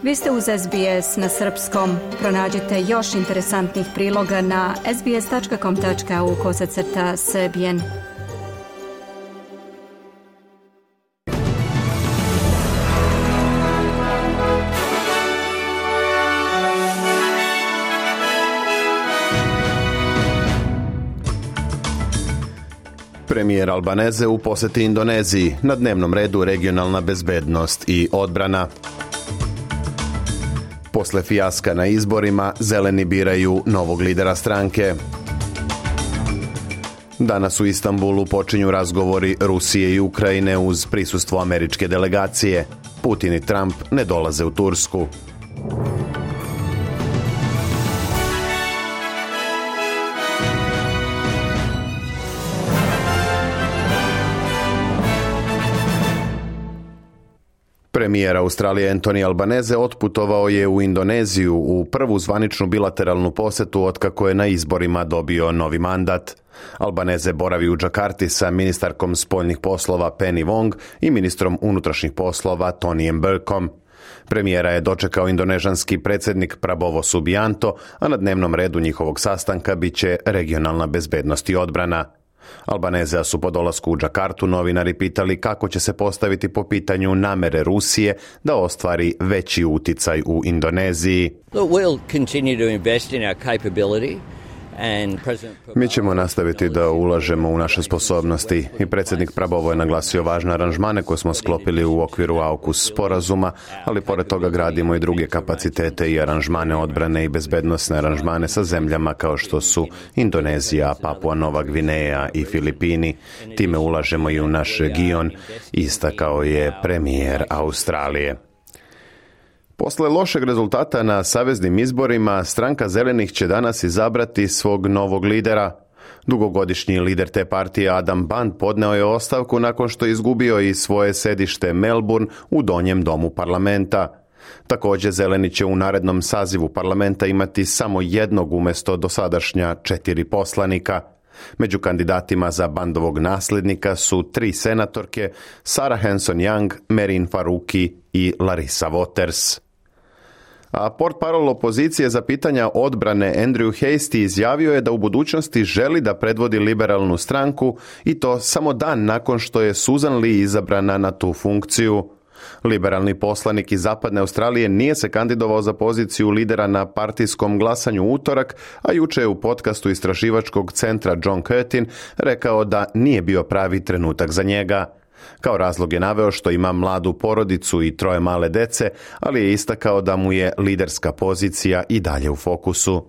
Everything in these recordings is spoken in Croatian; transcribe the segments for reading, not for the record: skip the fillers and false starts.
Vi ste uz SBS na srpskom. Pronađite još interesantnih priloga na sbs.com.au/srbijen. Premijer Albaneze u posjeti Indoneziji, na dnevnom redu regionalna bezbednost i odbrana. Posle fijaska na izborima, zeleni biraju novog lidera stranke. Danas u Istanbulu počinju razgovori Rusije i Ukrajine uz prisustvo američke delegacije. Putin i Trump ne dolaze u Tursku. Premijer Australije Anthony Albanese otputovao je u Indoneziju u prvu zvaničnu bilateralnu posjetu otkako je na izborima dobio novi mandat. Albanese boravi u Džakarti sa ministarkom spoljnih poslova Penny Wong i ministrom unutrašnjih poslova Tonyjem Burkom. Premijera je dočekao indonežanski predsjednik Prabowo Subianto, a na dnevnom redu njihovog sastanka bit će regionalna bezbednost i odbrana. Albanezea su po dolasku u Džakartu novinari pitali kako će se postaviti po pitanju namere Rusije da ostvari veći uticaj u Indoneziji. Mi ćemo nastaviti da ulažemo u naše sposobnosti i predsjednik Prabowo je naglasio važne aranžmane koje smo sklopili u okviru AUKUS sporazuma, ali pored toga gradimo i druge kapacitete i aranžmane odbrane i bezbednosne aranžmane sa zemljama kao što su Indonezija, Papua Nova Gvineja i Filipini. Time ulažemo i u naš region, istakao je premijer Australije. Posle lošeg rezultata na saveznim izborima, stranka Zelenih će danas izabrati svog novog lidera. Dugogodišnji lider te partije Adam Band podneo je ostavku nakon što je izgubio i svoje sedište Melbourne u donjem domu parlamenta. Također Zeleni će u narednom sazivu parlamenta imati samo jednog umjesto dosadašnja 4 poslanika. Među kandidatima za Bandovog nasljednika su 3 senatorke, Sarah Hanson-Young, Merin Faruqi i Larissa Waters. A portparol opozicije za pitanja odbrane Andrew Hastie izjavio je da u budućnosti želi da predvodi liberalnu stranku i to samo dan nakon što je Susan Lee izabrana na tu funkciju. Liberalni poslanik iz Zapadne Australije nije se kandidovao za poziciju lidera na partijskom glasanju u utorak, a juče je u podcastu istraživačkog centra John Curtin rekao da nije bio pravi trenutak za njega. Kao razlog je naveo što ima mladu porodicu i 3 male dece, ali je istakao da mu je liderska pozicija i dalje u fokusu.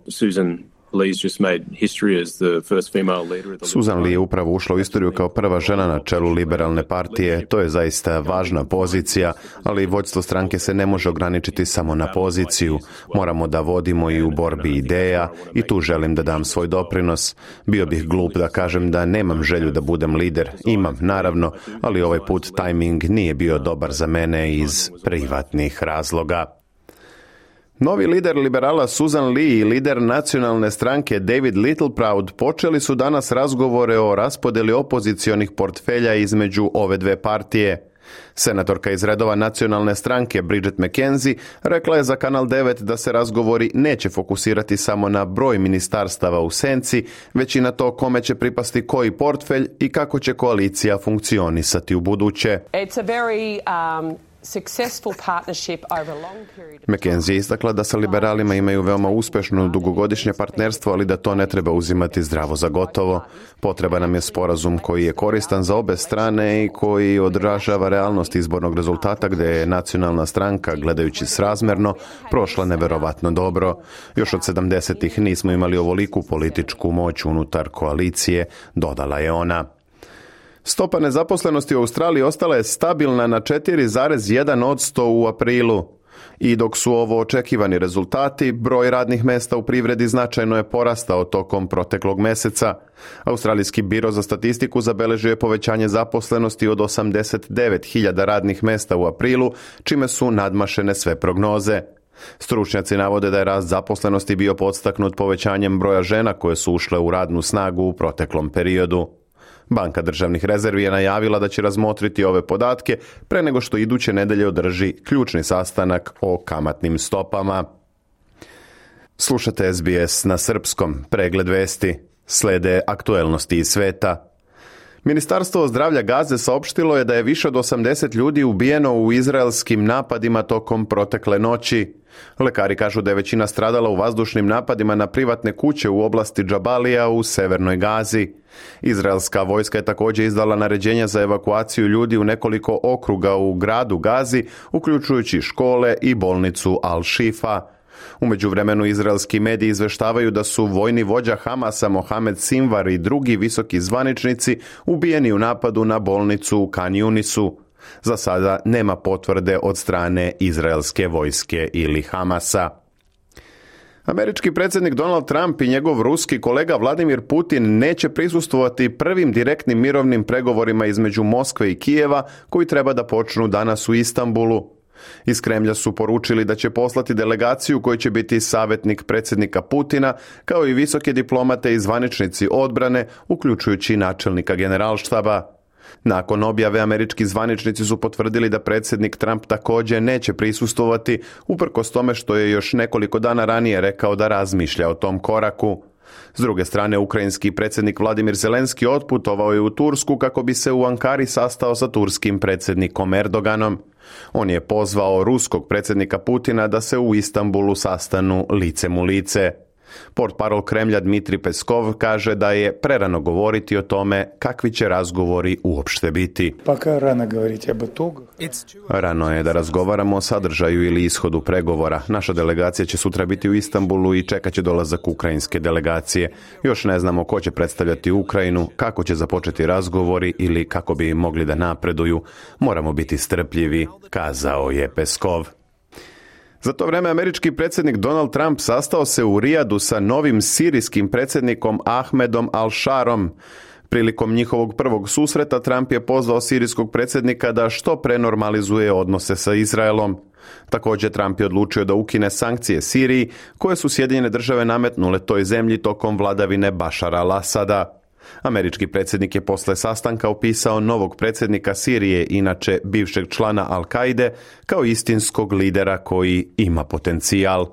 Susan Lee je upravo ušla u istoriju kao prva žena na čelu liberalne partije. To je zaista važna pozicija, ali vođstvo stranke se ne može ograničiti samo na poziciju. Moramo da vodimo i u borbi ideja i tu želim da dam svoj doprinos. Bio bih glup da kažem da nemam želju da budem lider. Imam, naravno, ali ovaj put tajming nije bio dobar za mene iz privatnih razloga. Novi lider liberala Susan Lee i lider nacionalne stranke David Littleproud počeli su danas razgovore o raspodjeli opozicionih portfelja između ove dve partije. Senatorka iz redova nacionalne stranke Bridget McKenzie rekla je za Kanal 9 da se razgovori neće fokusirati samo na broj ministarstava u senci, već i na to kome će pripasti koji portfelj i kako će koalicija funkcionisati u buduće. McKenzie je istakla da sa liberalima imaju veoma uspešno dugogodišnje partnerstvo, ali da to ne treba uzimati zdravo za gotovo. Potreban nam je sporazum koji je koristan za obe strane i koji odražava realnost izbornog rezultata gdje je nacionalna stranka, gledajući srazmerno, prošla neverovatno dobro. Još od 70-ih nismo imali ovoliku političku moć unutar koalicije, dodala je ona. Stopa nezaposlenosti u Australiji ostala je stabilna na 4,1% u aprilu. I dok su ovo očekivani rezultati, broj radnih mjesta u privredi značajno je porastao tokom proteklog mjeseca. Australijski biro za statistiku zabeležio je povećanje zaposlenosti od 89.000 radnih mjesta u aprilu, čime su nadmašene sve prognoze. Stručnjaci navode da je rast zaposlenosti bio podstaknut povećanjem broja žena koje su ušle u radnu snagu u proteklom periodu. Banka državnih rezervi je najavila da će razmotriti ove podatke pre nego što iduće nedelje održi ključni sastanak o kamatnim stopama. Slušate SBS na srpskom, pregled vesti. Slede aktuelnosti iz sveta. Ministarstvo zdravlja Gaze saopštilo je da je više od 80 ljudi ubijeno u izraelskim napadima tokom protekle noći. Lekari kažu da je većina stradala u vazdušnim napadima na privatne kuće u oblasti Džabalija u severnoj Gazi. Izraelska vojska je također izdala naređenja za evakuaciju ljudi u nekoliko okruga u gradu Gazi, uključujući škole i bolnicu Al-Shifa. U međuvremenu izraelski mediji izveštavaju da su vojni vođa Hamasa Mohamed Sinvar i drugi visoki zvaničnici ubijeni u napadu na bolnicu u Khan Yunisu. Za sada nema potvrde od strane izraelske vojske ili Hamasa. Američki predsjednik Donald Trump i njegov ruski kolega Vladimir Putin neće prisustvovati prvim direktnim mirovnim pregovorima između Moskve i Kijeva koji treba da počnu danas u Istanbulu. Iz Kremlja su poručili da će poslati delegaciju koji će biti savjetnik predsjednika Putina, kao i visoke diplomate i zvaničnici odbrane, uključujući načelnika generalštaba. Nakon objave američki zvaničnici su potvrdili da predsjednik Trump također neće prisustvovati, uprkos tome što je još nekoliko dana ranije rekao da razmišlja o tom koraku. S druge strane, ukrajinski predsjednik Vladimir Zelenski otputovao je u Tursku kako bi se u Ankari sastao sa turskim predsjednikom Erdoganom. On je pozvao ruskog predsjednika Putina da se u Istanbulu sastanu licem u lice. Portparol Kremlja Dmitri Peskov kaže da je prerano govoriti o tome kakvi će razgovori uopšte biti. Rano je da razgovaramo o sadržaju ili ishodu pregovora. Naša delegacija će sutra biti u Istanbulu i čekat će dolazak ukrajinske delegacije. Još ne znamo ko će predstavljati Ukrajinu, kako će započeti razgovori ili kako bi mogli da napreduju. Moramo biti strpljivi, kazao je Peskov. Za to vreme američki predsjednik Donald Trump sastao se u Rijadu sa novim sirijskim predsjednikom Ahmedom Al-Sharom. Prilikom njihovog prvog susreta Trump je pozvao sirijskog predsjednika da što pre normalizuje odnose sa Izraelom. Također Trump je odlučio da ukine sankcije Siriji koje su Sjedinjene države nametnule toj zemlji tokom vladavine Bašara al-Asada. Američki predsjednik je posle sastanka opisao novog predsjednika Sirije, inače bivšeg člana Al-Kaide, kao istinskog lidera koji ima potencijal.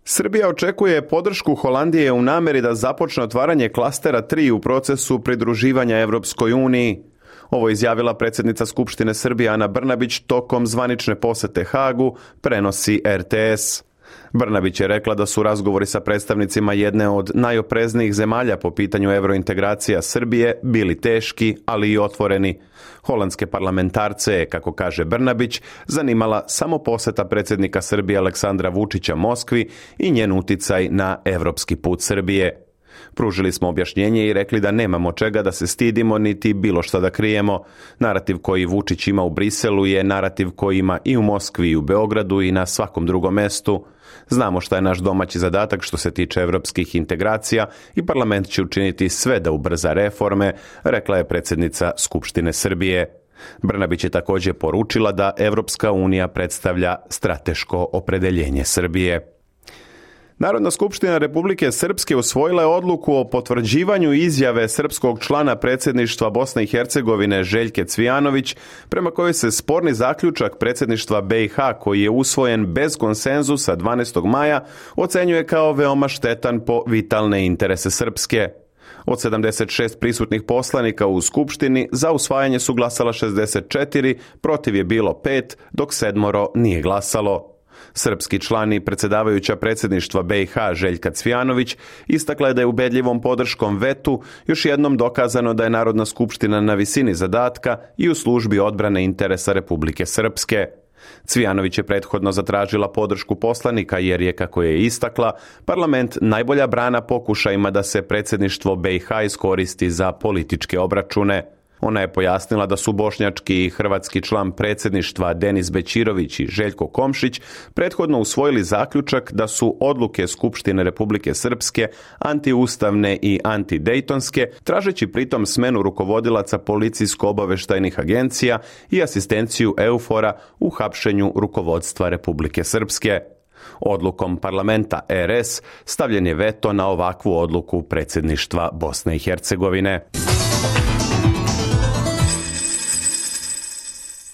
Srbija očekuje podršku Holandije u namjeri da započne otvaranje klastera 3 u procesu pridruživanja Evropskoj uniji. Ovo je izjavila predsjednica Skupštine Srbije Ana Brnabić tokom zvanične posete Hagu, prenosi RTS. Brnabić je rekla da su razgovori sa predstavnicima jedne od najopreznijih zemalja po pitanju eurointegracija Srbije bili teški, ali i otvoreni. Holandske parlamentarce je, kako kaže Brnabić, zanimala samo poseta predsjednika Srbije Aleksandra Vučića Moskvi i njen uticaj na evropski put Srbije. Pružili smo objašnjenje i rekli da nemamo čega da se stidimo niti bilo šta da krijemo. Narativ koji Vučić ima u Briselu je narativ koji ima i u Moskvi i u Beogradu i na svakom drugom mestu. Znamo šta je naš domaći zadatak što se tiče evropskih integracija i parlament će učiniti sve da ubrza reforme, rekla je predsjednica Skupštine Srbije. Brnabić je također poručila da Evropska unija predstavlja strateško opredeljenje Srbije. Narodna skupština Republike Srpske usvojila je odluku o potvrđivanju izjave srpskog člana predsjedništva Bosne i Hercegovine Željke Cvijanović, prema kojoj se sporni zaključak predsjedništva BiH koji je usvojen bez konsenzusa 12. maja ocenjuje kao veoma štetan po vitalne interese Srpske. Od 76 prisutnih poslanika u Skupštini za usvajanje su glasala 64, protiv je bilo 5, dok 7 nije glasalo. Srpski član i predsjedavajuća predsjedništva BiH Željka Cvijanović istakla je da je ubedljivom podrškom vetu još jednom dokazano da je Narodna skupština na visini zadatka i u službi odbrane interesa Republike Srpske. Cvijanović je prethodno zatražila podršku poslanika jer je, kako je istakla, parlament najbolja brana pokušajima da se predsjedništvo BiH iskoristi za političke obračune. Ona je pojasnila da su bošnjački i hrvatski član predsjedništva Denis Bećirović i Željko Komšić prethodno usvojili zaključak da su odluke Skupštine Republike Srpske antiustavne i antidejtonske, tražeći pritom smenu rukovodilaca policijsko-obaveštajnih agencija i asistenciju EUFOR-a u hapšenju rukovodstva Republike Srpske. Odlukom parlamenta RS stavljen je veto na ovakvu odluku predsjedništva Bosne i Hercegovine.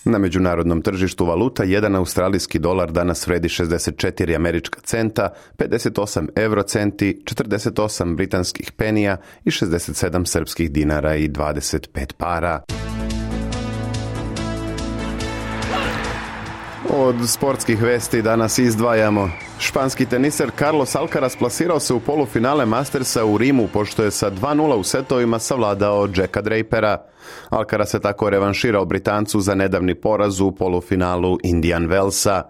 Na međunarodnom tržištu valuta 1 australijski dolar danas vredi 64 američka centa, 58 eurocenti, 48 britanskih penija i 67 srpskih dinara i 25 para. Od sportskih vesti danas izdvajamo. Španski teniser Carlos Alcaraz plasirao se u polufinale Mastersa u Rimu, pošto je sa 2:0 u setovima savladao Jacka Drapera. Alcaraz se tako revanširao Britancu za nedavni poraz u polufinalu Indian Wellsa.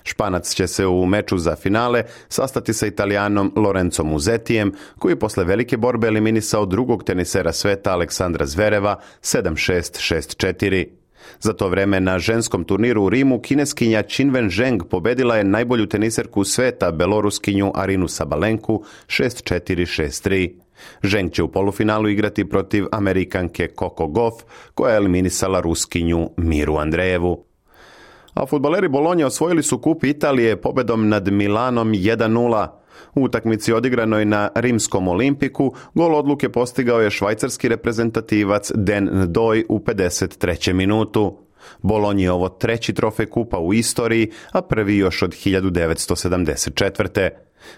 Španac će se u meču za finale sastati sa Italijanom Lorenzo Musettijem, koji posle velike borbe eliminisao drugog tenisera sveta Aleksandra Zvereva 7-6, 6-4. Za to vreme na ženskom turniru u Rimu kineskinja Qinwen Zheng pobedila je najbolju teniserku sveta, beloruskinju Arinu Sabalenku 6-4, 6-3. Zheng će u polufinalu igrati protiv Amerikanke Coco Gauff, koja je eliminisala Ruskinju Miru Andrejevu. A fudbaleri Bolonje osvojili su kup Italije pobedom nad Milanom 1:0. U utakmici odigranoj na Rimskom Olimpiku gol odluke postigao je švajcarski reprezentativac Den Ndoj u 53. minutu. Bolonji je ovo 3. trofej kupa u istoriji, a prvi još od 1974.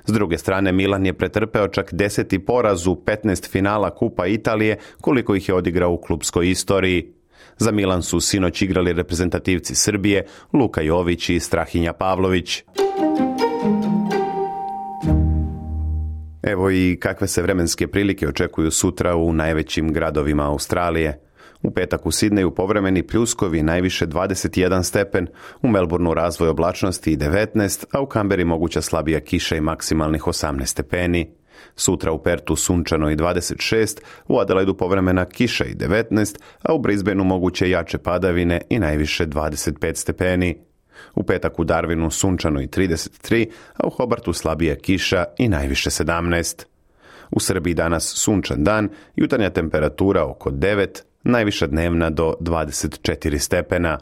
S druge strane, Milan je pretrpeo čak 10. poraz u 15 finala Kupa Italije, koliko ih je odigrao u klupskoj istoriji. Za Milan su sinoć igrali reprezentativci Srbije, Luka Jović i Strahinja Pavlović. Evo i kakve se vremenske prilike očekuju sutra u najvećim gradovima Australije. U petak u Sidneju povremeni pljuskovi, najviše 21 stepen, u Melbourneu razvoj oblačnosti i 19, a u Kamberi moguća slabija kiša i maksimalnih 18 stepeni. Sutra u Pertu sunčano i 26, u Adelaidu povremena kiša i 19, a u Brisbaneu moguće jače padavine i najviše 25 stepeni. U petak u Darwinu sunčano i 33, a u Hobartu slabija kiša i najviše 17. U Srbiji danas sunčan dan, jutarnja temperatura oko 9, najviša dnevna do 24 stepena.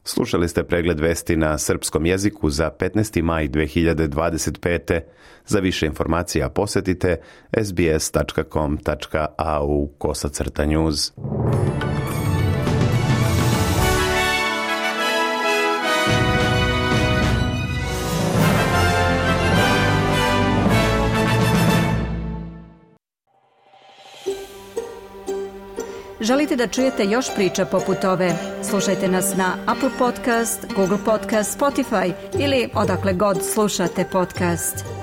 Slušali ste pregled vesti na srpskom jeziku za 15. maj 2025. Za više informacija posjetite sbs.com.au/news. Želite da čujete još priča poput ove? Slušajte nas na Apple Podcast, Google Podcast, Spotify ili odakle god slušate podcast.